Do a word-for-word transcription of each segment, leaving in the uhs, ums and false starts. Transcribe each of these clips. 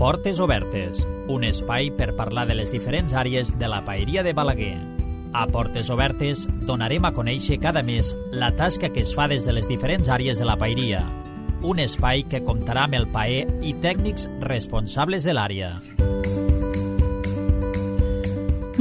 Portes Obertes, un espai per parlar de les diferents àrees de la paeria de Balaguer. A Portes Obertes donarem a conèixer cada mes la tasca que es fa des de les diferents àrees de la paeria. Un espai que comptarà amb el paer i tècnics responsables de l'àrea.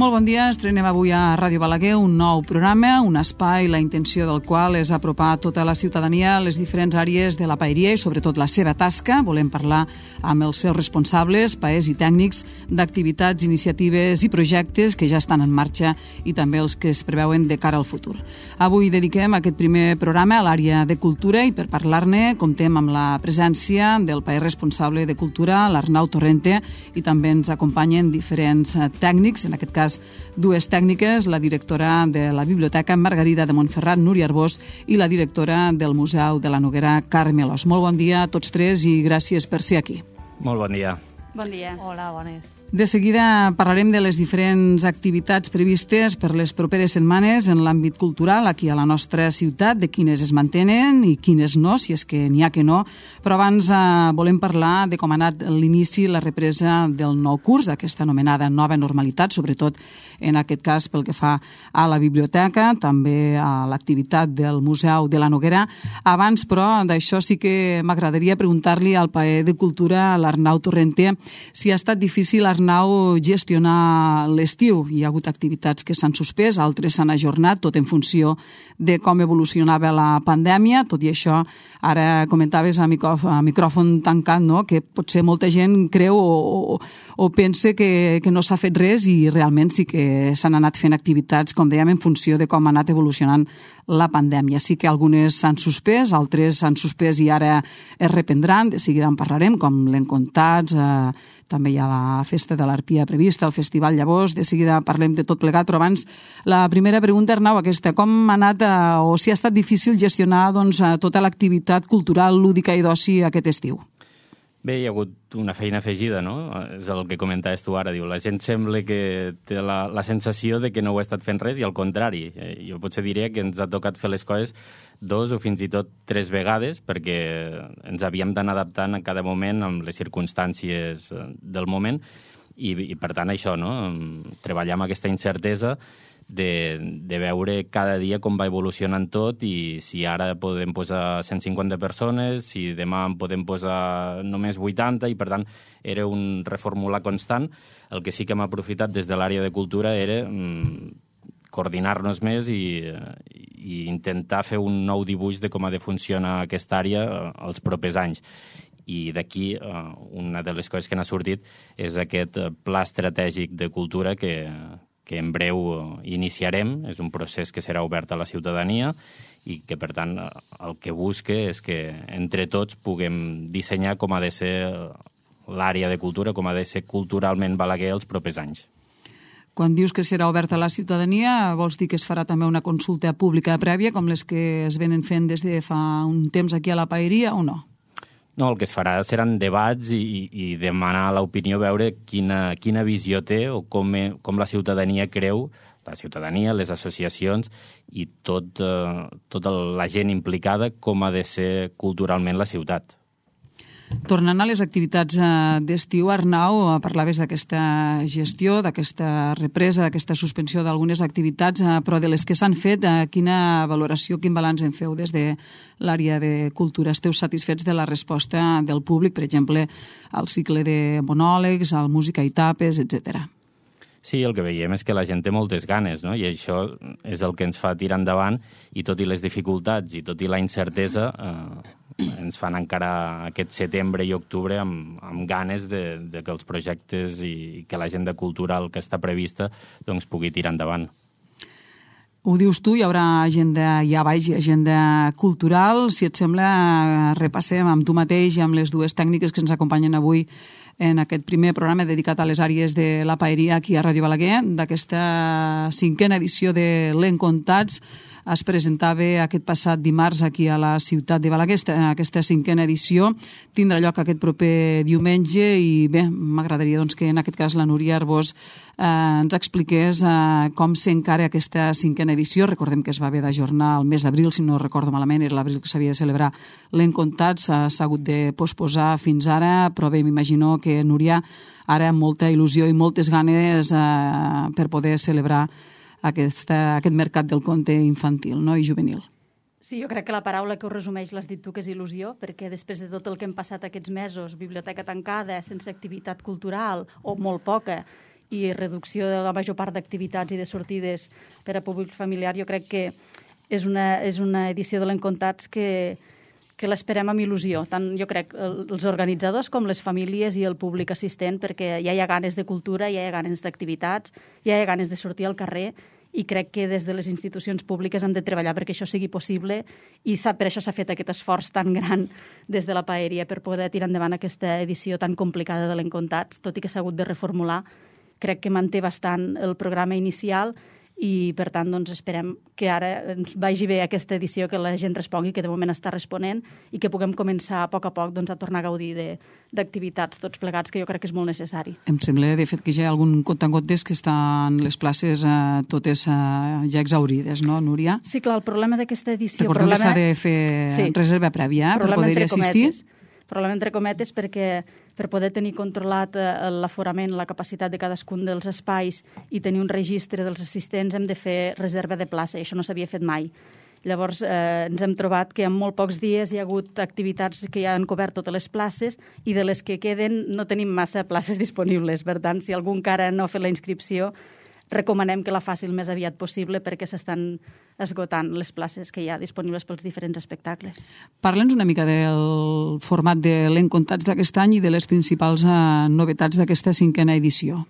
Molt bon dia, estrenem avui a Ràdio Balaguer un nou programa, un espai, la intenció del qual és apropar tota la ciutadania a les diferents àrees de la paeria i sobretot la seva tasca. Volem parlar amb els seus responsables, paers i tècnics d'activitats, iniciatives i projectes que ja estan en marxa i també els que es preveuen de cara al futur. Avui dediquem aquest primer programa a l'àrea de cultura i per parlar-ne comptem amb la presència del paer responsable de cultura, l'Arnau Torrente, i també ens acompanyen diferents tècnics, en aquest cas dues tècniques, la directora de la Biblioteca Margarida de Montferrat, Núria Arbós, i la directora del Museu de la Noguera, Carme Alòs. Molt bon dia a tots tres i gràcies per ser aquí. Molt bon dia. Bon dia. Hola, bones. De seguida parlarem de les diferents activitats previstes per les properes setmanes en l'àmbit cultural aquí a la nostra ciutat, de quines es mantenen i quines no, si és que n'hi ha que no. Però abans eh, volem parlar de com ha anat l'inici, la represa del nou curs, aquesta anomenada nova normalitat, sobretot en aquest cas pel que fa a la biblioteca, també a l'activitat del Museu de la Noguera. Abans, però, d'això sí que m'agradaria preguntar-li al paer de cultura, a l'Arnau Torrente, si ha estat difícil, Arnau, gestionar l'estiu. Hi ha hagut activitats que s'han suspès, altres s'han ajornat, tot en funció de com evolucionava la pandèmia. Tot i això, ara comentaves a, micro, a micròfon tancat, no?, que potser molta gent creu o, o, o pensa que, que no s'ha fet res i realment sí que s'han anat fent activitats, com dèiem, en funció de com ha anat evolucionant la pandèmia. Sí que algunes s'han suspès, altres s'han suspès i ara es reprendran, de seguida en parlarem, com l'Encontats, eh, també hi ha la festa de l'Arpia prevista, el Festival Llavors, de seguida parlem de tot plegat, però abans la primera pregunta, Arnau, aquesta, com ha anat eh, o si ha estat difícil gestionar doncs, tota l'activitat cultural, lúdica i d'oci aquest estiu? Bé, hi ha hagut una feina afegida, no? És el que comentaves tu ara. Diu, la gent sembla que té la, la sensació de que no ho ha estat fent res i al contrari. Eh, jo potser diria que ens ha tocat fer les coses dos o fins i tot tres vegades perquè ens havíem d'anar adaptant a cada moment amb les circumstàncies del moment i, i per tant això, no? Treballar amb aquesta incertesa De, de veure cada dia com va evolucionant tot i si ara podem posar cent cinquanta persones, si demà en podem posar només vuitanta, i per tant era un reformular constant. El que sí que hem aprofitat des de l'àrea de cultura era mm, coordinar-nos més i, i intentar fer un nou dibuix de com ha de funcionar aquesta àrea els propers anys. I d'aquí una de les coses que n'ha sortit és aquest pla estratègic de cultura que que en breu iniciarem. És un procés que serà obert a la ciutadania i que, per tant, el que busca és que entre tots puguem dissenyar com ha de ser l'àrea de cultura, com ha de ser culturalment Balaguer els propers anys. Quan dius que serà obert a la ciutadania, vols dir que es farà també una consulta pública prèvia, com les que es venen fent des de fa un temps aquí a la paeria, o no? No, el que es farà seran debats i, i demanar l'opinió, veure quina, quina visió té o com, com la ciutadania creu, la ciutadania, les associacions i tot, eh, tota la gent implicada, com ha de ser culturalment la ciutat. Tornant a les activitats d'estiu, Arnau, parlaves d'aquesta gestió, d'aquesta represa, d'aquesta suspensió d'algunes activitats, però de les que s'han fet, quina valoració, quin balanç en feu des de l'àrea de cultura? Esteu satisfets de la resposta del públic, per exemple, al cicle de monòlegs, al música i tapes, etcètera? Sí, el que veiem és que la gent té moltes ganes, no? I això és el que ens fa tirar endavant, i tot i les dificultats i tot i la incertesa, eh, ens fan encara aquest setembre i octubre amb, amb ganes de, de que els projectes i que l'agenda cultural que està prevista doncs, pugui tirar endavant. Ho dius tu, hi haurà agenda, ja vaig, agenda cultural. Si et sembla, repassem amb tu mateix i amb les dues tècniques que ens acompanyen avui en aquest primer programa dedicat a les àrees de la paeria aquí a Ràdio Balaguer, d'aquesta cinquena edició de l'Encontats. es presentava aquest passat dimarts aquí a la ciutat de Balaguer. Aquesta cinquena edició tindrà lloc aquest proper diumenge i bé, m'agradaria doncs, que en aquest cas la Núria Arbós eh, ens expliqués eh, com s'encara aquesta cinquena edició. Recordem que es va haver d'ajornar el mes d'abril, si no recordo malament, era l'abril que s'havia de celebrar l'Encontats, s'ha hagut de posposar fins ara, però bé, m'imagino que Núria ara amb molta il·lusió i moltes ganes eh, per poder celebrar aquesta, aquest mercat del conte infantil, no? I juvenil. Sí, jo crec que la paraula que ho resumeix l'has dit tu, que és il·lusió, perquè després de tot el que hem passat aquests mesos, biblioteca tancada, sense activitat cultural, o molt poca, i reducció de la major part d'activitats i de sortides per a públic familiar, jo crec que és una, és una edició de l'Encontats que, que l'esperem amb il·lusió, tant jo crec els organitzadors com les famílies i el públic assistent, perquè ja hi ha ganes de cultura, ja hi ha ganes d'activitats, ja hi ha ganes de sortir al carrer, i crec que des de les institucions públiques hem de treballar perquè això sigui possible i per això s'ha fet aquest esforç tan gran des de la Paeria per poder tirar endavant aquesta edició tan complicada de l'Encontats, tot i que s'ha hagut de reformular. Crec que manté bastant el programa inicial i, per tant, doncs, esperem que ara ens vagi bé aquesta edició, que la gent respongui, que de moment està responent, i que puguem començar a poc a poc doncs, a tornar a gaudir d'activitats tots plegats, que jo crec que és molt necessari. Em sembla, de fet, que ja hi ha algun contangotes que estan les places eh, totes eh, ja exaurides, no, Núria? Sí, clar, el problema d'aquesta edició... Recordem problema... que s'ha de fer sí. reserva prèvia per poder-hi assistir. Problema entre cometes perquè per poder tenir controlat l'aforament, la capacitat de cadascun dels espais i tenir un registre dels assistents hem de fer reserva de plaça i això no s'havia fet mai. Llavors eh, ens hem trobat que en molt pocs dies hi ha hagut activitats que ja han cobert totes les places i de les que queden no tenim massa places disponibles. Per tant, si algú encara no ha fet la inscripció, recomanem que la faci el més aviat possible perquè s'estan esgotant les places que hi ha disponibles pels diferents espectacles. Parla'ns una mica del format de l'Encontats d'aquest any i de les principals eh, novetats d'aquesta cinquena edició.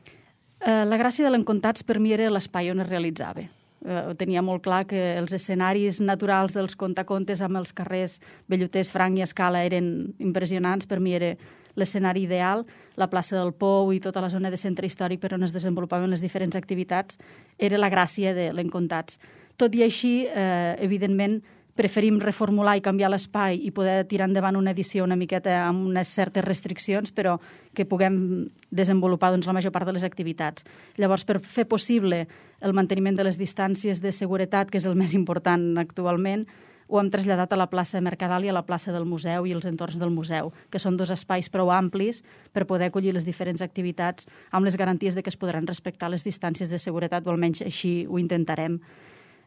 Eh, la gràcia de l'Encontats per mi era l'espai on es realitzava. Eh, tenia molt clar que els escenaris naturals dels contacontes amb els carrers Belloters, Franc i Escala eren impressionants. Per mi era l'escenari ideal, la plaça del Pou i tota la zona de centre històric per on es desenvolupaven les diferents activitats, era la gràcia de l'Encontats. Tot i així, eh, evidentment, preferim reformular i canviar l'espai i poder tirar endavant una edició una miqueta amb unes certes restriccions, però que puguem desenvolupar doncs, la major part de les activitats. Llavors, per fer possible el manteniment de les distàncies de seguretat, que és el més important actualment, ho hem traslladat a la plaça Mercadal i a la plaça del museu i els entorns del museu, que són dos espais prou amplis per poder acollir les diferents activitats amb les garanties de que es podran respectar les distàncies de seguretat, o almenys així ho intentarem.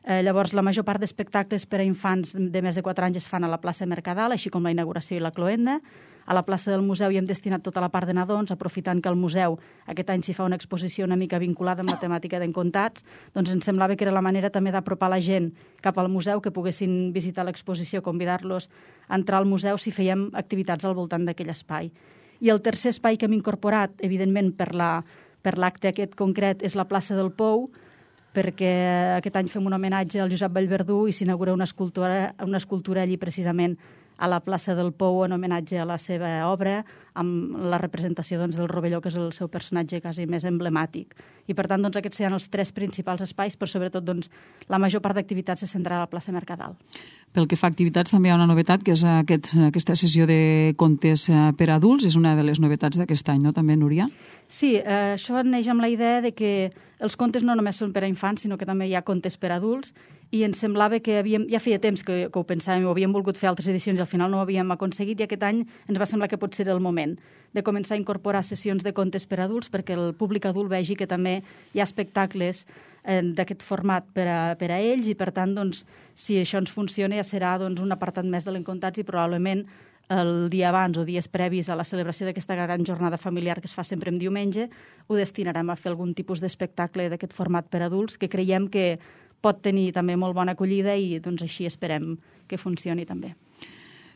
Eh, llavors, la major part d'espectacles per a infants de més de quatre anys es fan a la plaça Mercadal, així com la inauguració i la cloenda. A la plaça del museu hi hem destinat tota la part de nadons, aprofitant que al museu aquest any s'hi fa una exposició una mica vinculada amb la temàtica d'Encontats, doncs ens semblava que era la manera també d'apropar la gent cap al museu, que poguessin visitar l'exposició, convidar-los a entrar al museu si fèiem activitats al voltant d'aquell espai. I el tercer espai que hem incorporat, evidentment per la, per l'acte aquest concret, és la plaça del Pou, perquè aquest any fem un homenatge al Josep Vallverdú i s'inaugura una escultura, una escultura allí precisament a la plaça del Pou en homenatge a la seva obra, amb la representació doncs, del Rovelló, que és el seu personatge quasi més emblemàtic. I per tant, doncs, aquests seran els tres principals espais, però sobretot doncs, la major part d'activitats se centrarà a la plaça Mercadal. Pel que fa a activitats, també hi ha una novetat, que és aquest, aquesta sessió de contes per a adults. És una de les novetats d'aquest any, no? També, Núria? Sí, eh, això neix amb la idea de que els contes no només són per a infants, sinó que també hi ha contes per a adults, i ens semblava que havíem, ja feia temps que, que ho pensàvem, ho havíem volgut fer altres edicions i al final no ho havíem aconseguit, i aquest any ens va semblar que pot ser el moment de començar a incorporar sessions de contes per a adults perquè el públic adult vegi que també hi ha espectacles eh, d'aquest format per a, per a ells, i per tant, doncs, si això ens funciona ja serà doncs, un apartat més de l'Encontats i probablement el dia abans o dies previs a la celebració d'aquesta gran jornada familiar que es fa sempre en diumenge, ho destinarem a fer algun tipus d'espectacle d'aquest format per a adults que creiem que pot tenir també molt bona acollida i doncs així esperem que funcioni també.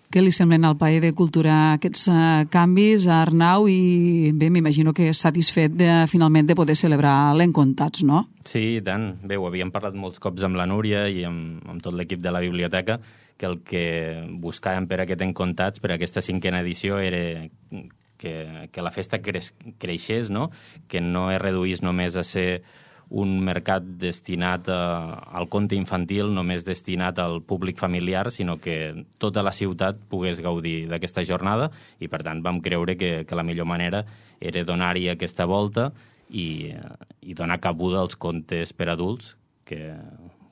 Què li semblen al Paer de Cultura aquests uh, canvis, a Arnau? I bé, m'imagino que és satisfet de, finalment de poder celebrar l'Encontats, no? Sí, i tant. Bé, ho havíem parlat molts cops amb la Núria i amb, amb tot l'equip de la biblioteca, que el que buscàvem per aquest Encontats, per aquesta cinquena edició, era que, que la festa creix, creixés, no? Que no es reduís només a ser un mercat destinat a, al conte infantil, només destinat al públic familiar, sinó que tota la ciutat pogués gaudir d'aquesta jornada i, per tant, vam creure que, que la millor manera era donar-hi aquesta volta i, i donar cabuda als contes per adults, que,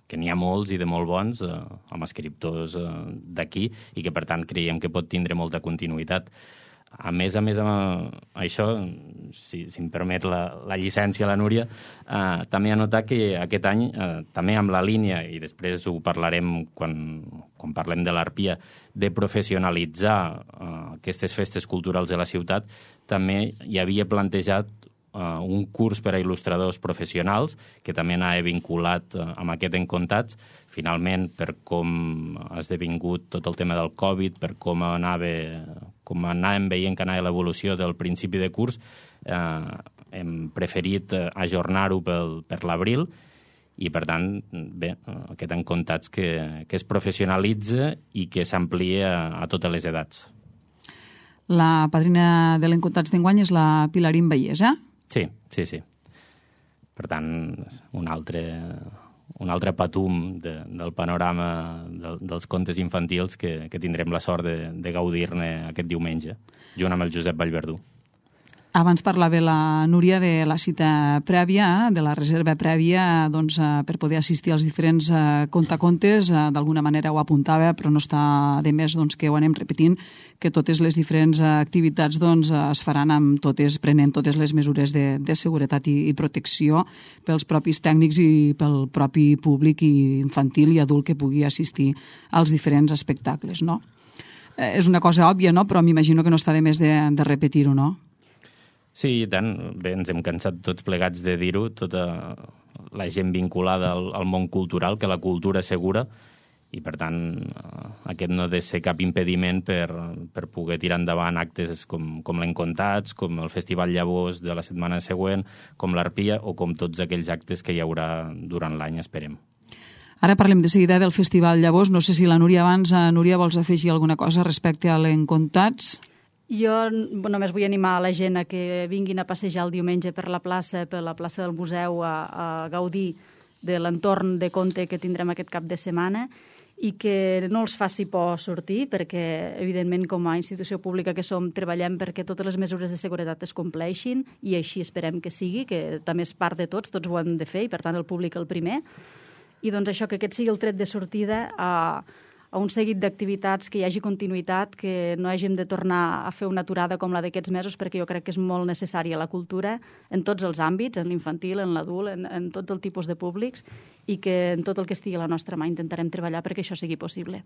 que n'hi ha molts i de molt bons, eh, amb escriptors eh, d'aquí, i que, per tant, creiem que pot tindre molta continuïtat. A més a més, amb això, si, si em permet la, la llicència, la Núria, eh, també anotar que aquest any, eh, també amb la línia, i després ho parlarem quan, quan parlem de l'Arpia, de professionalitzar eh, aquestes festes culturals de la ciutat, també hi havia plantejat Uh, un curs per a il·lustradors professionals, que també anava vinculat uh, amb aquest Encontats. Finalment, per com ha esdevingut tot el tema del Covid, per com anava, com anàvem veient que anava l'evolució del principi de curs, uh, hem preferit uh, ajornar-ho pel, per l'abril, i, per tant, bé, uh, aquest Encontats que, que es professionalitza i que s'amplia a, a totes les edats. La padrina de l'Encontats d'enguany és la Pilarín Vallès, eh? Sí, sí, sí. Per tant, un altre, un altre patum de, del panorama de, dels contes infantils que, que tindrem la sort de, de gaudir-ne aquest diumenge, junt amb el Josep Vallverdú. Abans parlava la Núria de la cita prèvia, de la reserva prèvia, doncs, per poder assistir als diferents contacontes. D'alguna manera ho apuntava, però no està de més doncs, que ho anem repetint, que totes les diferents activitats doncs, es faran amb totes, prenent totes les mesures de, de seguretat i, i protecció pels propis tècnics i pel propi públic i infantil i adult que pugui assistir als diferents espectacles, no? Eh, és una cosa òbvia, no? Però m'imagino que no està de més de, de repetir-ho, no? Sí, i tant. Bé, ens hem cansat tots plegats de dir-ho, tota la gent vinculada al, al món cultural, que la cultura és segura, i, per tant, aquest no ha de ser cap impediment per, per poder tirar endavant actes com, com l'Encontats, com el Festival Llavors de la setmana següent, com l'Arpia o com tots aquells actes que hi haurà durant l'any, esperem. Ara parlem de seguida del Festival Llavors. No sé si la Núria abans, Núria, vols afegir alguna cosa respecte a l'Encontats? Jo només vull animar a la gent a que vinguin a passejar el diumenge per la plaça, per la plaça del museu, a, a gaudir de l'entorn de conte que tindrem aquest cap de setmana i que no els faci por sortir, perquè, evidentment, com a institució pública que som, treballem perquè totes les mesures de seguretat es compleixin i així esperem que sigui, que també és part de tots, tots ho hem de fer i, per tant, el públic el primer. I, doncs, això, que aquest sigui el tret de sortida a a un seguit d'activitats, que hi hagi continuïtat, que no hàgim de tornar a fer una aturada com la d'aquests mesos, perquè jo crec que és molt necessària la cultura en tots els àmbits, en l'infantil, en l'adult, en, en tot el tipus de públics, i que en tot el que estigui a la nostra mà intentarem treballar perquè això sigui possible.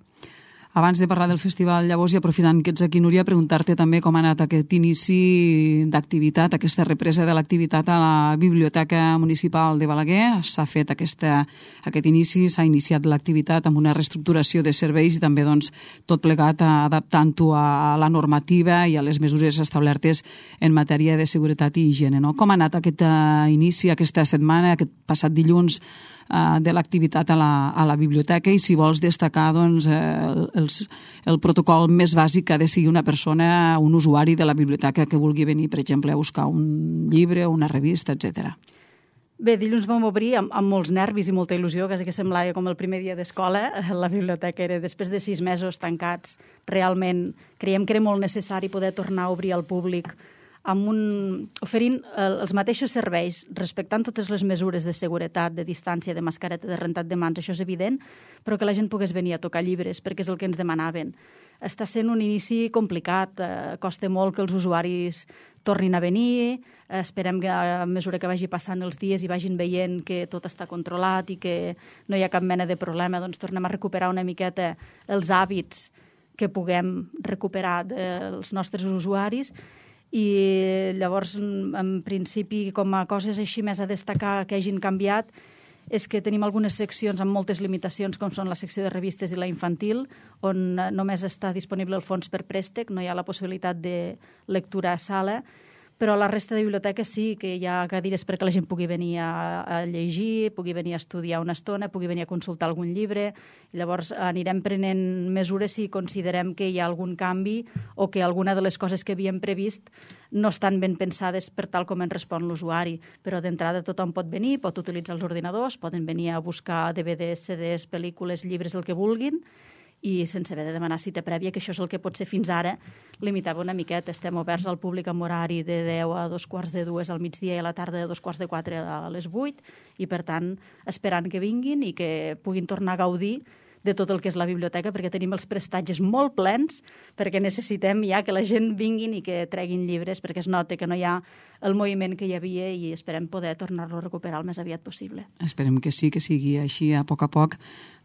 Abans de parlar del Festival Llavors, i aprofitant que ets aquí, Núria, preguntar-te també com ha anat aquest inici d'activitat, aquesta represa de l'activitat a la Biblioteca Municipal de Balaguer. S'ha fet aquesta, aquest inici, s'ha iniciat l'activitat amb una reestructuració de serveis i també doncs, tot plegat adaptant-ho a la normativa i a les mesures establertes en matèria de seguretat i higiene. No? Com ha anat aquest inici, aquesta setmana, aquest passat dilluns, de l'activitat a, la, a la biblioteca, i si vols destacar doncs, el, el, el protocol més bàsic que ha de seguir una persona, un usuari de la biblioteca que vulgui venir, per exemple, a buscar un llibre, una revista, etcètera. Bé, dilluns vam obrir amb, amb molts nervis i molta il·lusió, quasi que semblava com el primer dia d'escola. La biblioteca era, després de sis mesos tancats, realment creiem que era molt necessari poder tornar a obrir al públic amb un, oferint els mateixos serveis, respectant totes les mesures de seguretat, de distància, de mascareta, de rentat de mans, això és evident, però que la gent pogués venir a tocar llibres, perquè és el que ens demanaven. Està sent un inici complicat, eh, costa molt que els usuaris tornin a venir, eh, esperem que a mesura que vagi passant els dies i vagin veient que tot està controlat i que no hi ha cap mena de problema, doncs tornem a recuperar una miqueta els hàbits que puguem recuperar dels nostres usuaris. I llavors, en principi, com a coses així més a destacar que hagin canviat, és que tenim algunes seccions amb moltes limitacions, com són la secció de revistes i la infantil, on només està disponible el fons per préstec, no hi ha la possibilitat de lectura a sala, però la resta de biblioteques sí, que hi ha cadires perquè la gent pugui venir a, a llegir, pugui venir a estudiar una estona, pugui venir a consultar algun llibre. Llavors anirem prenent mesures si considerem que hi ha algun canvi o que alguna de les coses que havíem previst no estan ben pensades per tal com ens respon l'usuari. Però d'entrada tothom pot venir, pot utilitzar els ordinadors, poden venir a buscar D V Ds, C Ds, pel·lícules, llibres, el que vulguin, i sense haver de demanar cita prèvia, que això és el que potser fins ara limitava una miqueta. Estem oberts al públic amb horari de deu a dos quarts de dues al migdia i a la tarda de dos quarts de quatre a les vuit, i per tant esperant que vinguin i que puguin tornar a gaudir de tot el que és la biblioteca, perquè tenim els prestatges molt plens, perquè necessitem ja que la gent vinguin i que treguin llibres, perquè es nota que no hi ha el moviment que hi havia i esperem poder tornar-lo a recuperar el més aviat possible. Esperem que sí, que sigui així a poc a poc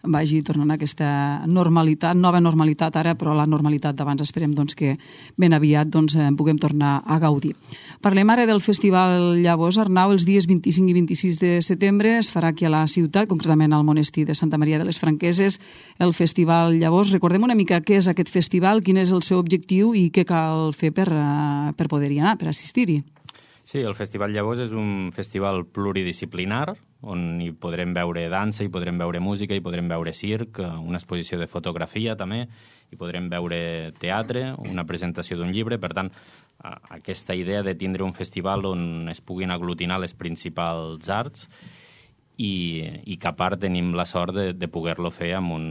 vagi tornant a aquesta normalitat, nova normalitat ara, però la normalitat d'abans esperem doncs, que ben aviat doncs, puguem tornar a gaudir. Parlem ara del Festival Llavors, Arnau. Els dies vint-i-cinc i vint-i-sis de setembre es farà aquí a la ciutat, concretament al monestir de Santa Maria de les Franqueses, el Festival Llavors. Recordem una mica què és aquest festival, quin és el seu objectiu i què cal fer per, per poder-hi anar, per assistir-hi. Sí, el Festival Llavors és un festival pluridisciplinar on hi podrem veure dansa, hi podrem veure música, hi podrem veure circ, una exposició de fotografia també, hi podrem veure teatre, una presentació d'un llibre. Per tant, aquesta idea de tindre un festival on es puguin aglutinar les principals arts i, i que a part tenim la sort de, de poder-lo fer amb un,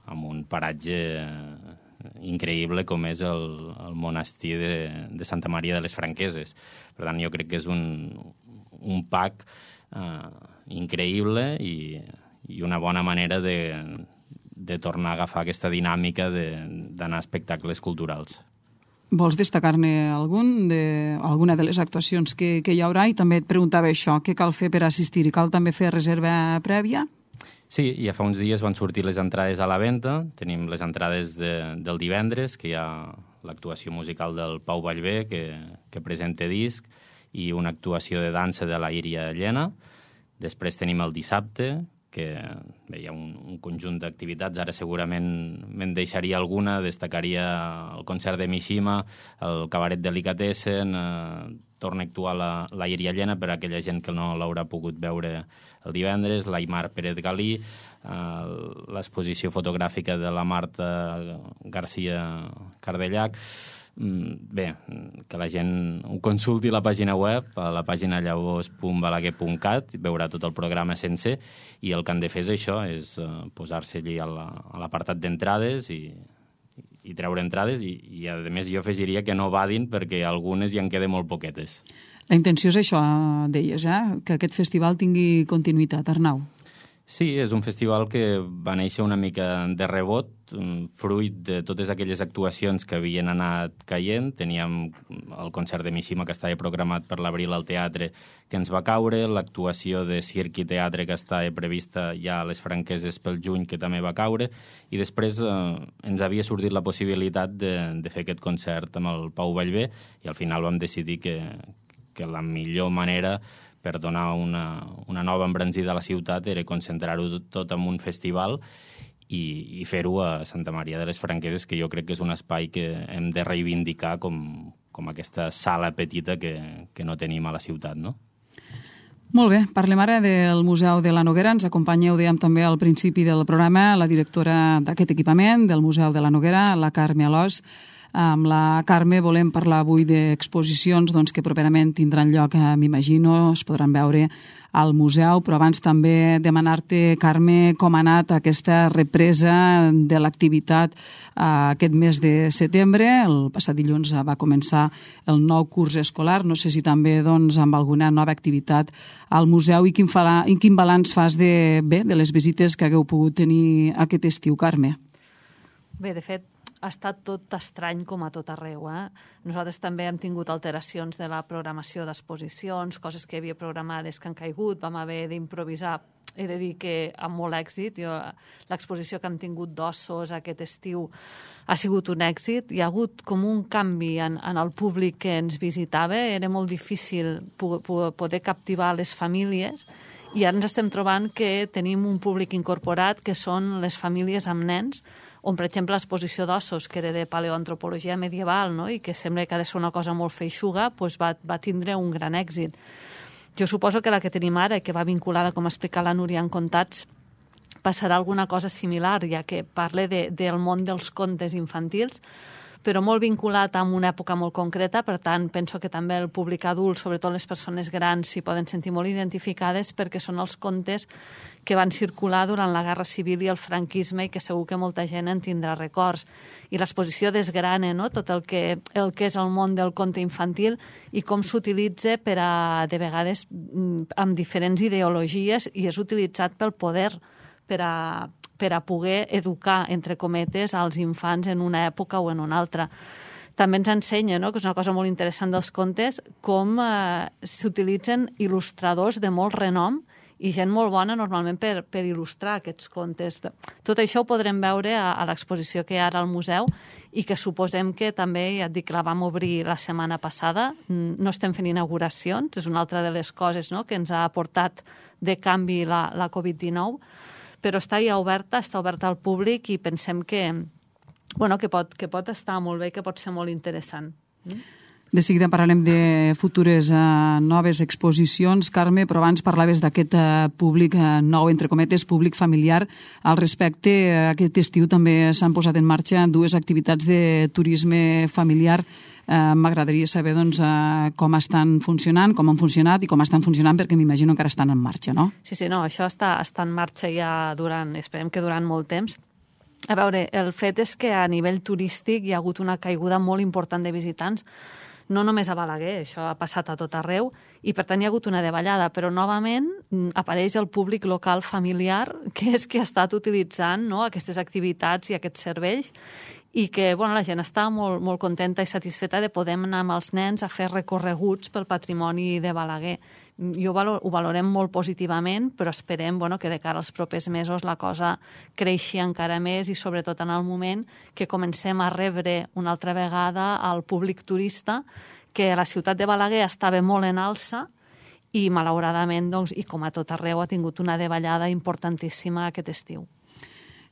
amb un paratge increïble com és el, el monestir de, de Santa Maria de les Franqueses. Per tant, jo crec que és un, un pack eh, increïble i, i una bona manera de, de tornar a agafar aquesta dinàmica d'anar a espectacles culturals. Vols destacar-ne algun de, alguna de les actuacions que, que hi haurà? I també et preguntava això, què cal fer per assistir-hi? Cal també fer reserva prèvia? Sí, ja fa uns dies van sortir les entrades a la venda. Tenim les entrades de, del divendres, que hi ha l'actuació musical del Pau Vallvé, que, que presenta disc, i una actuació de dansa de la Iria Llena. Després tenim el dissabte, que bé, hi ha un, un conjunt d'activitats. Ara segurament me'n deixaria alguna, destacaria el concert de Mishima, el cabaret Delicatessen, eh, torna a actuar la, la Iria Llena per a aquella gent que no l'haurà pogut veure el divendres, l'Aimar Pérez Galí, eh, l'exposició fotogràfica de la Marta García Cardellac. Bé, que la gent ho consulti a la pàgina web, a la pàgina llavors punt balaguer punt cat, veurà tot el programa sencer, i el que han de fer és això, és posar-se allí a l'apartat d'entrades i, i treure entrades, i, i a més jo afegiria que no vadin perquè algunes ja en queden molt poquetes. La intenció és això, deies, eh? Que aquest festival tingui continuïtat, Arnau. Sí, és un festival que va néixer una mica de rebot, fruit de totes aquelles actuacions que havien anat caient. Teníem el concert de Mishima, que estava programat per l'abril al teatre, que ens va caure, l'actuació de circ i teatre que estava prevista ja a les Franqueses pel juny, que també va caure, i després eh, ens havia sortit la possibilitat de, de fer aquest concert amb el Pau Vallvé, i al final vam decidir que, que la millor manera per donar una, una nova embranzida a la ciutat era concentrar-ho tot en un festival i, i fer-ho a Santa Maria de les Franqueses, que jo crec que és un espai que hem de reivindicar com, com aquesta sala petita que, que no tenim a la ciutat, no? Molt bé, parlem ara del Museu de la Noguera. Ens acompanya, ho dèiem també al principi del programa, la directora d'aquest equipament, del Museu de la Noguera, la Carme Alòs. Amb la Carme volem parlar avui d'exposicions doncs, que properament tindran lloc, eh, m'imagino, es podran veure al museu, però abans també demanar-te, Carme, com ha anat aquesta represa de l'activitat eh, aquest mes de setembre. El passat dilluns va començar el nou curs escolar. No sé si també doncs, amb alguna nova activitat al museu i quin, fa, i quin balanç fas de, bé, de les visites que hagueu pogut tenir aquest estiu, Carme. Bé, de fet, ha estat tot estrany com a tot arreu. Eh? Nosaltres també hem tingut alteracions de la programació d'exposicions, coses que havia programades que han caigut, vam haver d'improvisar. He de dir que amb molt èxit. L'exposició que hem tingut d'ossos aquest estiu ha sigut un èxit. Hi ha hagut com un canvi en, en el públic que ens visitava. Era molt difícil poder captivar les famílies i ara ens estem trobant que tenim un públic incorporat que són les famílies amb nens, on, per exemple, l'exposició d'ossos, que era de paleoantropologia medieval, no? I que sembla que ha de ser una cosa molt feixuga, doncs va, va tindre un gran èxit. Jo suposo que la que tenim ara, que va vinculada, com explica la Núria en Contats, passarà alguna cosa similar, ja que parla de, del món dels contes infantils, però molt vinculat amb una època molt concreta, per tant, penso que també el públic adult, sobretot les persones grans, s'hi poden sentir molt identificades perquè són els contes que van circular durant la Guerra Civil i el franquisme i que segur que molta gent en tindrà records. I l'exposició desgrana, no?, tot el que, el que és el món del conte infantil i com s'utilitza per a, de vegades, amb diferents ideologies, i és utilitzat pel poder per a per a poder educar, entre cometes, als infants en una època o en una altra. També ens ensenya, no?, que és una cosa molt interessant dels contes, com eh, s'utilitzen il·lustradors de molt renom i gent molt bona normalment per, per il·lustrar aquests contes. Tot això ho podrem veure a, a l'exposició que hi ha ara al museu i que suposem que també, ja et dic, la vam obrir la setmana passada. No estem fent inauguracions, és una altra de les coses, no?, que ens ha aportat de canvi la, la covid dinou, però està ja oberta, està oberta al públic i pensem que, bueno, que, pot, que pot estar molt bé, que pot ser molt interessant. De seguida parlarem de futures uh, noves exposicions, Carme, però abans parlaves d'aquest uh, públic uh, nou, entre cometes, públic familiar. Al respecte, uh, aquest estiu també s'han posat en marxa dues activitats de turisme familiar. Uh, M'agradaria saber doncs, uh, com estan funcionant, com han funcionat i com estan funcionant, perquè m'imagino que encara estan en marxa, no? Sí, sí, no, això està, està en marxa ja durant, esperem que durant molt temps. A veure, el fet és que a nivell turístic hi ha hagut una caiguda molt important de visitants, no només a Balaguer, això ha passat a tot arreu, i per tant hi ha hagut una davallada, però novament apareix el públic local familiar, que és que ha estat utilitzant, no?, aquestes activitats i aquests serveis, i que, bueno, la gent està molt, molt contenta i satisfeta de poder anar amb els nens a fer recorreguts pel patrimoni de Balaguer. Jo valor, ho valorem molt positivament, però esperem, bueno, que de cara als propers mesos la cosa creixi encara més i sobretot en el moment que comencem a rebre una altra vegada al públic turista, que la ciutat de Balaguer estava molt en alça i malauradament, doncs, i com a tot arreu, ha tingut una davallada importantíssima aquest estiu.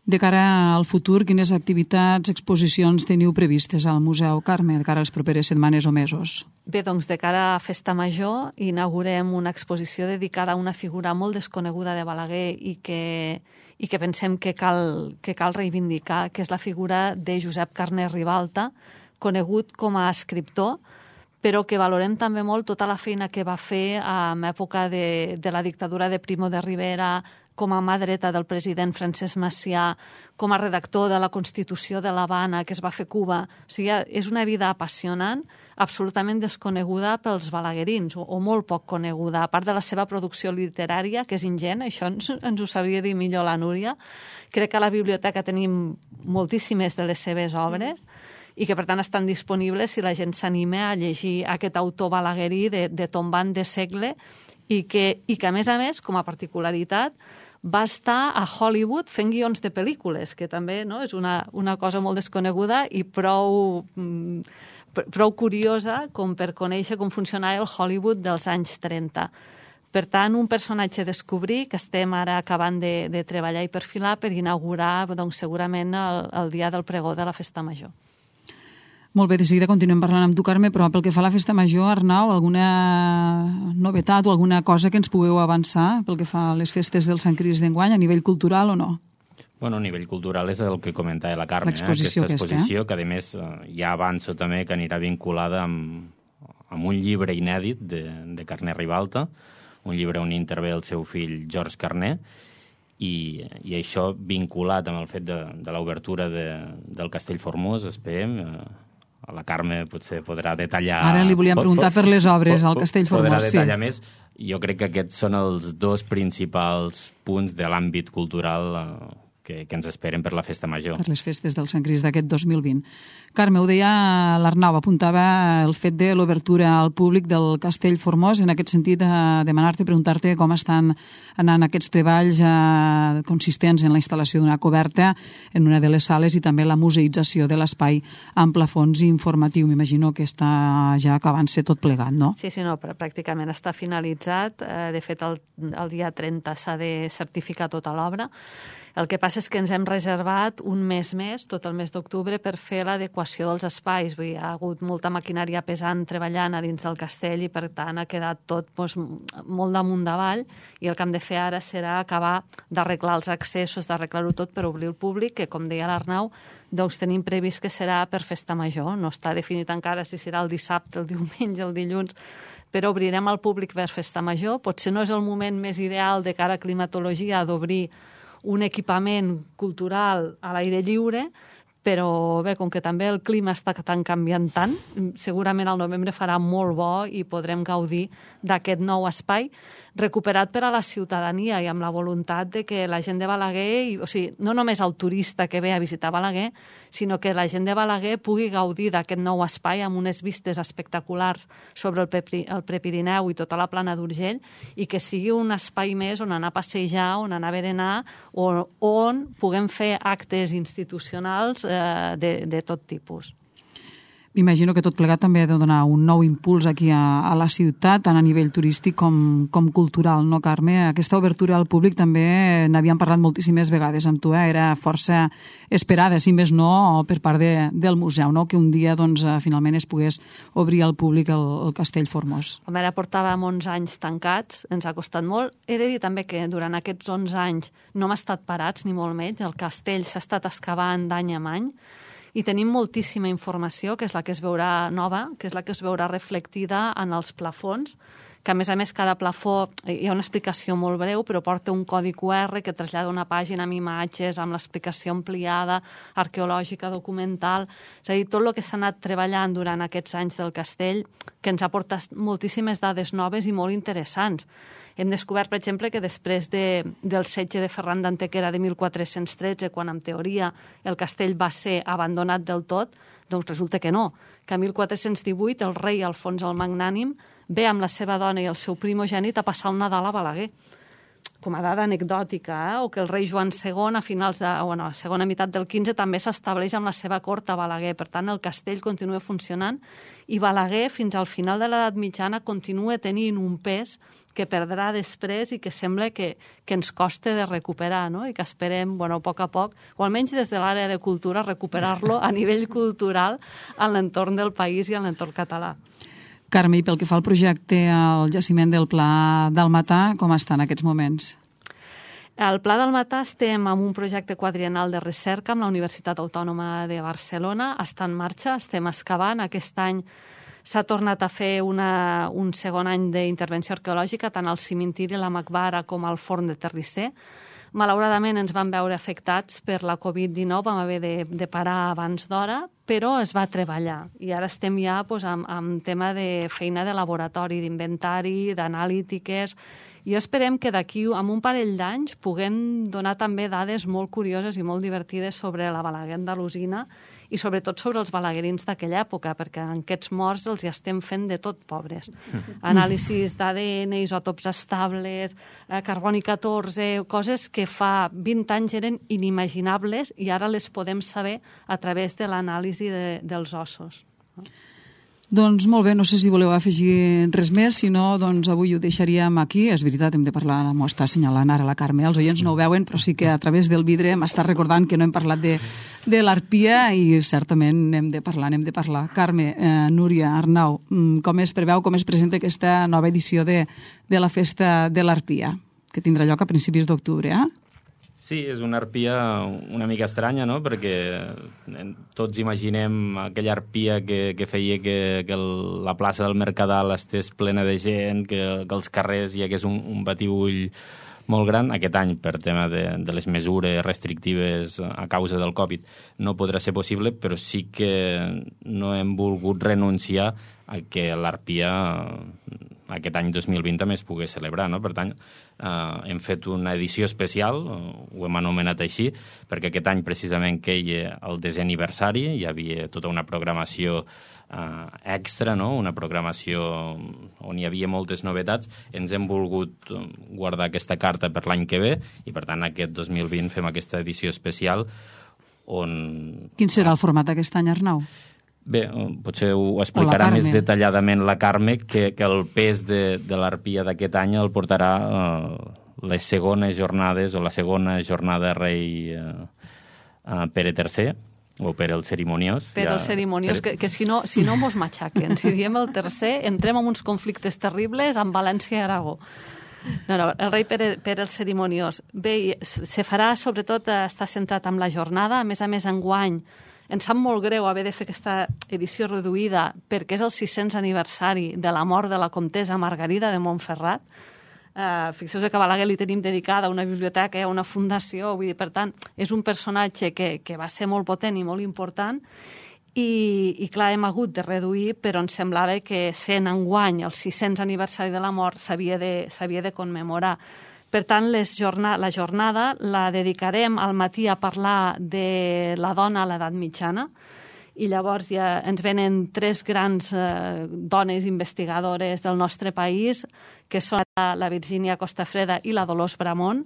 De cara al futur, quines activitats, exposicions teniu previstes al Museu, Carme, de cara a les properes setmanes o mesos? Bé, doncs de cara a Festa Major inaugurem una exposició dedicada a una figura molt desconeguda de Balaguer i que, i que pensem que cal, que cal reivindicar, que és la figura de Josep Carner Ribalta, conegut com a escriptor, però que valorem també molt tota la feina que va fer en època de, de la dictadura de Primo de Rivera, com a mà dreta del president Francesc Macià, com a redactor de la Constitució de l'Havana, que es va fer a Cuba. O sigui, és una vida apassionant, absolutament desconeguda pels balaguerins, o, o molt poc coneguda. A part de la seva producció literària, que és ingent, això ens, ens ho sabria dir millor la Núria. Crec que a la biblioteca tenim moltíssimes de les seves obres, i que per tant estan disponibles si la gent s'anima a llegir aquest autor balaguerí de, de tombant de segle, i que, i que a més a més, com a particularitat, va estar a Hollywood fent guions de pel·lícules, que també, no?, és una, una cosa molt desconeguda i prou, prou curiosa com per conèixer com funcionava el Hollywood dels anys trenta. Per tant, un personatge a descobrir que estem ara acabant de, de treballar i perfilar per inaugurar, doncs, segurament el, el dia del pregó de la Festa Major. Molt bé, de seguida continuem parlant amb tu, Carme, però pel que fa a la Festa Major, Arnau, alguna novetat o alguna cosa que ens pugueu avançar pel que fa a les festes del Sant Crist d'enguany, a nivell cultural o no? Bueno, a nivell cultural és el que comentava la Carme, eh? L'exposició aquesta exposició, aquesta, que a més ja avanço també que anirà vinculada amb, amb un llibre inèdit de, de Carner Ribalta, un llibre on intervé el seu fill George Carner, i, i això vinculat amb el fet de, de l'obertura de, del Castell Formós, esperem. A la Carme potser podrà detallar... Ara li volíem preguntar per les obres al Castell Formós. Podrà detallar sí. més. Jo crec que aquests són els dos principals punts de l'àmbit cultural que, que ens esperen per la Festa Major. Per les festes del Sant Crist d'aquest dos mil vint. Carme, ho deia l'Arnau, apuntava el fet de l'obertura al públic del Castell Formós. En aquest sentit, a demanar-te, preguntar-te com estan anant aquests treballs eh, consistents en la instal·lació d'una coberta en una de les sales i també la museïtzació de l'espai amb plafons informatiu. M'imagino que està ja acabant-se tot plegat, no? Sí, sí, no, pràcticament està finalitzat. De fet, el, el dia trenta s'ha de certificar tota l'obra. El que passa és que ens hem reservat un mes més, tot el mes d'octubre, per fer l'adequació dels espais. Vull dir, ha hagut molta maquinària pesant treballant a dins del castell i, per tant, ha quedat tot doncs, molt damunt davall, i el que hem de fer ara serà acabar d'arreglar els accessos, d'arreglar-ho tot per obrir el públic, que, com deia l'Arnau, doncs tenim previst que serà per festa major. No està definit encara si serà el dissabte, el diumenge, el dilluns, però obrirem al públic per festa major. Potser no és el moment més ideal de cara a climatologia d'obrir un equipament cultural a l'aire lliure, però bé, com que també el clima està tan canviant tant, segurament al novembre farà molt bo i podrem gaudir d'aquest nou espai recuperat per a la ciutadania i amb la voluntat de que la gent de Balaguer, o sigui, no només el turista que ve a visitar Balaguer, sinó que la gent de Balaguer pugui gaudir d'aquest nou espai amb unes vistes espectaculars sobre el, Pepri, el Prepirineu i tota la plana d'Urgell, i que sigui un espai més on anar a passejar, on anar a berenar, o on puguem fer actes institucionals eh, de, de tot tipus. M'imagino que tot plegat també ha de donar un nou impuls aquí a, a la ciutat, tant a nivell turístic com, com cultural, no, Carme? Aquesta obertura al públic també n'havíem parlat moltíssimes vegades amb tu, eh? Era força esperada, si més no, per part de, del museu, no? Que un dia doncs, finalment es pogués obrir al públic el, el Castell Formós. Home, ara portàvem onze anys tancats, ens ha costat molt. He de dir també que durant aquests onze anys no hem estat parats, ni molt menys. El castell s'ha estat excavant d'any en any, i tenim moltíssima informació, que és la que es veurà nova, que és la que es veurà reflectida en els plafons, que a més a més cada plafó, hi ha una explicació molt breu, però porta un codi cu erre que trasllada una pàgina amb imatges, amb l'explicació ampliada, arqueològica, documental. És a dir, tot el que s'ha anat treballant durant aquests anys del castell, que ens ha portat moltíssimes dades noves i molt interessants. Hem descobert, per exemple, que després de, del setge de Ferran d'Antequera de mil quatre-cents tretze, quan en teoria el castell va ser abandonat del tot, doncs resulta que no, que a mil quatre-cents divuit el rei Alfons el Magnànim ve amb la seva dona i el seu primogènit a passar el Nadal a Balaguer. Com a dada anecdòtica, eh? O que el rei Joan segon, a finals de, bueno, a la segona meitat del quinze, també s'estableix amb la seva cort a Balaguer. Per tant, el castell continua funcionant i Balaguer, fins al final de l'edat mitjana, continua tenint un pes que perdrà després i que sembla que, que ens costa de recuperar, no? I que esperem, bueno, a poc a poc, o almenys des de l'àrea de cultura, recuperar-lo a nivell cultural en l'entorn del país i en l'entorn català. Carme, i pel que fa al projecte al jaciment del Pla del Matà, com està en aquests moments? Al Pla del Matà estem amb un projecte quadriennal de recerca amb la Universitat Autònoma de Barcelona. Està en marxa, estem excavant. Aquest any s'ha tornat a fer una, un segon any d'intervenció arqueològica, tant al cimentiri, la Macbara, com al forn de Terrisser. Malauradament ens vam veure afectats per la covid dinou, vam haver de, de parar abans d'hora, però es va treballar. I ara estem ja doncs, amb, amb tema de feina de laboratori, d'inventari, d'analítiques. I esperem que d'aquí, amb un parell d'anys, puguem donar també dades molt curioses i molt divertides sobre la Balaguer andalusina i sobretot sobre els balaguerins d'aquella època, perquè en aquests morts els hi estem fent de tot pobres. Anàlisis d'A D N, isòtops estables, eh, carboni catorze, coses que fa vint anys eren inimaginables i ara les podem saber a través de l'anàlisi de, dels ossos. Doncs molt bé, no sé si voleu afegir res més, si no, doncs avui ho deixaríem aquí. És veritat, hem de parlar, m'ho està assenyalant ara la Carme, els oients no ho veuen, però sí que a través del vidre m'està recordant que no hem parlat de, de l'Arpia i certament n'hem de parlar, n'hem de parlar. Carme, eh, Núria, Arnau, com es preveu, com es presenta aquesta nova edició de, de la Festa de l'Arpia, que tindrà lloc a principis d'octubre, eh? Sí, és una arpia una mica estranya, no?, perquè tots imaginem aquella arpia que, que feia que, que el, la plaça del Mercadal estés plena de gent, que, que als carrers hi hagués un, un batibull molt gran. Aquest any, per tema de, de les mesures restrictives a causa del Covid, no podrà ser possible, però sí que no hem volgut renunciar a que l'Arpia aquest any dos mil vint també es pogués celebrar, no? Per tant, eh, hem fet una edició especial, ho hem anomenat així, perquè aquest any precisament queia el desè aniversari, hi havia tota una programació eh, extra, no? Una programació on hi havia moltes novetats. Ens hem volgut guardar aquesta carta per l'any que ve i, per tant, aquest dos mil vint fem aquesta edició especial on... Quin serà el format aquest any, Arnau? Bé, potser ho explicarà més detalladament la Carme, que, que el pes de, de l'Arpia d'aquest any el portarà eh, les segones jornades o la segona jornada rei eh, uh, Pere tercer, o per el cerimoniós. Per ja, el cerimoniós, per... que, que si no, si no mos matxaquen. Si diem el tercer, entrem en uns conflictes terribles amb València i Aragó. No, no, el rei Pere, Pere el cerimoniós. Bé, se farà, sobretot, està centrat en la jornada. A més a més, enguany, ens sap molt greu haver de fer aquesta edició reduïda perquè és el sis-cents aniversari de la mort de la comtessa Margarida de Montferrat. Uh, fixeu-vos que a Balaguer li tenim dedicada una biblioteca, una fundació, vull dir, per tant, és un personatge que, que va ser molt potent i molt important i, i clar, hem hagut de reduir, però ens semblava que sent enguany el sis-cents aniversari de la mort s'havia de, s'havia de commemorar. Per tant, les jorna, la jornada la dedicarem al matí a parlar de la dona a l'edat mitjana, i llavors ja ens venen tres grans eh, dones investigadores del nostre país, que són la Virgínia Costafreda i la Dolors Bramont,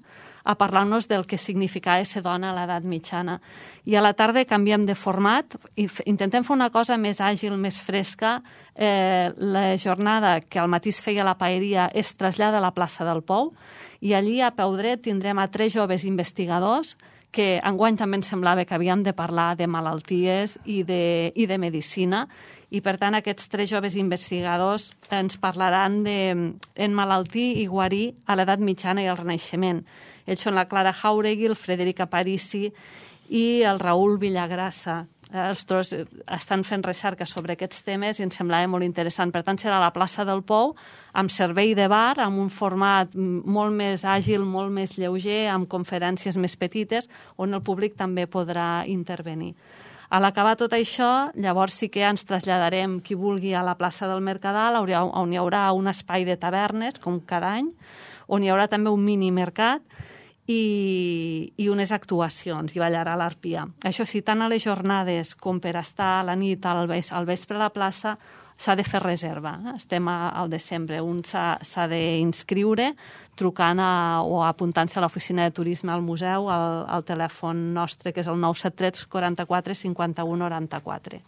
a parlar-nos del que significava ser dona a l'edat mitjana. I a la tarda canviem de format i intentem fer una cosa més àgil, més fresca. Eh, la jornada que al matí es feia a la paeria es trasllada a la plaça del Pou i allí a peu dret tindrem a tres joves investigadors que enguany també ens semblava que havíem de parlar de malalties i de, i de medicina, i per tant aquests tres joves investigadors ens parlaran d'emmalaltir i guarir a l'edat mitjana i al Renaixement. Ells són la Clara Jauregui, el Frederic Aparici i el Raül Villagrassa. Els tres estan fent recerca sobre aquests temes i ens semblava molt interessant. Per tant, serà a la plaça del Pou, amb servei de bar, amb un format molt més àgil, molt més lleuger, amb conferències més petites, on el públic també podrà intervenir. A l'acabar tot això, llavors sí que ens traslladarem, qui vulgui, a la plaça del Mercadal, on hi haurà un espai de tavernes, com cada any, on hi haurà també un mini mercat, I, i unes actuacions, i ballarà l'Arpia. Això sí, tant a les jornades com per estar a la nit, al, ves, al vespre a la plaça, s'ha de fer reserva. Estem a, al desembre. Un s'ha d'inscriure trucant a, o apuntant-se a l'oficina de turisme al museu, al, al telèfon nostre, que és el nou set tres quaranta-quatre cinquanta-u noranta-quatre.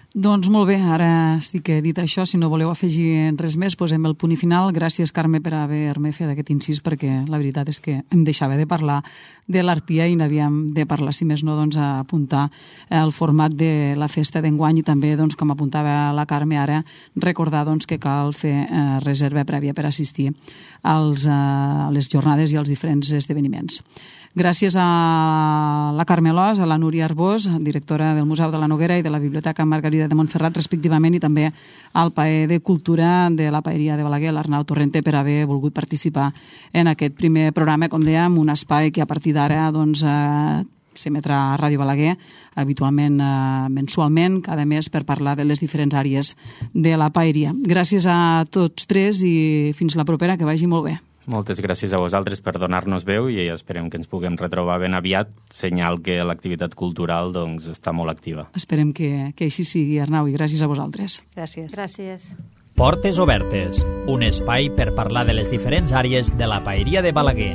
Doncs molt bé, ara sí que he dit això, si no voleu afegir res més, posem el punt i final. Gràcies, Carme, per haver-me fet aquest incís, perquè la veritat és que em deixava de parlar de l'Arpia i n'havíem de parlar, si més no, doncs, a apuntar el format de la festa d'enguany i també, doncs, com apuntava la Carme ara, recordar doncs, que cal fer eh, reserva prèvia per assistir als, eh, a les jornades i als diferents esdeveniments. Gràcies a la Carme Alòs, a la Núria Arbós, directora del Museu de la Noguera i de la Biblioteca Margarida de Montferrat, respectivament, i també al paer de Cultura de la Paeria de Balaguer, l'Arnau Torrente, per haver volgut participar en aquest primer programa, com dèiem, un espai que a partir d'ara doncs, eh, s'emetrà a Ràdio Balaguer, habitualment eh, mensualment, cada mes, per parlar de les diferents àrees de la paeria. Gràcies a tots tres i fins la propera, que vagi molt bé. Moltes gràcies a vosaltres per donar-nos veu i esperem que ens puguem retrobar ben aviat, senyal que l'activitat cultural doncs, està molt activa. Esperem que, que així sigui, Arnau, i gràcies a vosaltres. Gràcies. Gràcies. Portes Obertes, un espai per parlar de les diferents àrees de la paeria de Balaguer.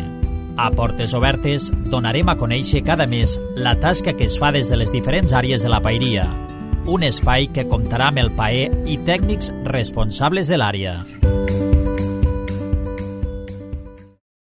A Portes Obertes donarem a conèixer cada mes la tasca que es fa des de les diferents àrees de la paeria. Un espai que comptarà amb el paer i tècnics responsables de l'àrea.